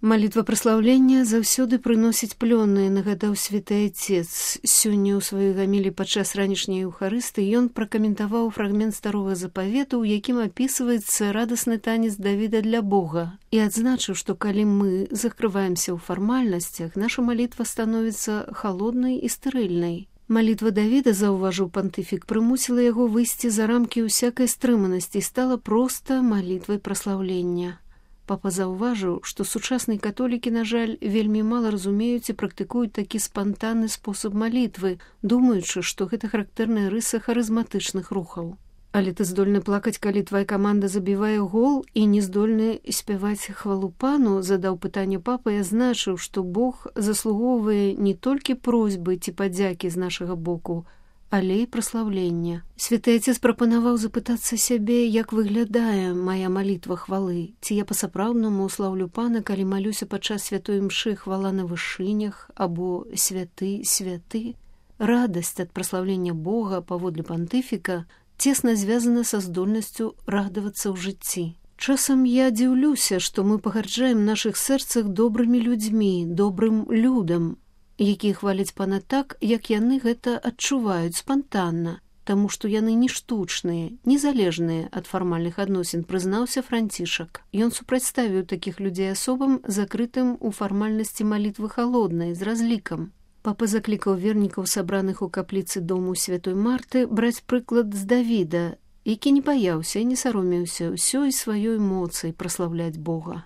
Малітва праслаўлення заўсёды прыносіць плённыя, нагадаў святы Отец. Сёння ў сваёй гамілі падчас ранішняй еўхарысты ён пракаментаваў фрагмент старога запавету, у якім апісваецца радасны танец Давіда для Бога, і адзначыў, што калі мы закрываемся ў фармальнасцях, наша малітва становіцца халоднай і стэрыльнай. Малітва Давіда, заўважыў пантыфік, прымусіла яго выйсці за рамкі ўсякай стрыманасці і стала проста малітвай праслаўлення. Папа заўважыў, што сучасныя католікі, на жаль, вельмі мала разумеюць і практыкуюць такі спантанны спосаб малітвы, думаючы, што гэта характэрная рыса харызматычных рухаў. Але ты здольны плакаць, калі твая каманда забівае гол, і не здольны спяваць хвалу пану, задаў пытанне папа і азначыў, што Бог заслугоўвае не толькі просьбы ці падзякі з нашага боку, але і праслаўлення. Святы Отец прапанаваў запытацца сябе, як выглядае мая малітва хвалы, ці я па-сапраўднаму слаўлю пана, калі малюся падчас святой імшы хвала на вышынях, або святы, святы. Радасць ад праслаўлення Бога, паводле пантыфіка, цесна звязана са здольнасцю радавацца ў жыцці. Часам я дзіўлюся, што мы пагарджаем нашых сэрцах добрымі людзьмі, добрым людам, якія хваляць пана так, як яны гэта адчуваюць спантанна, таму што яны не штучныя, незалежныя ад фармальных адносін, прызнаўся Францішак. Ён супрацьставіў такіх людзей асобам, закрытым у фармальнасці малітвы халоднай, з разлікам. Папа заклікаў вернікаў, сабраных у капліцы дому святой Марты, браць прыклад з Давіда, які не баяўся і не саромеўся ўсёй сваёй моцай праслаўляць Бога.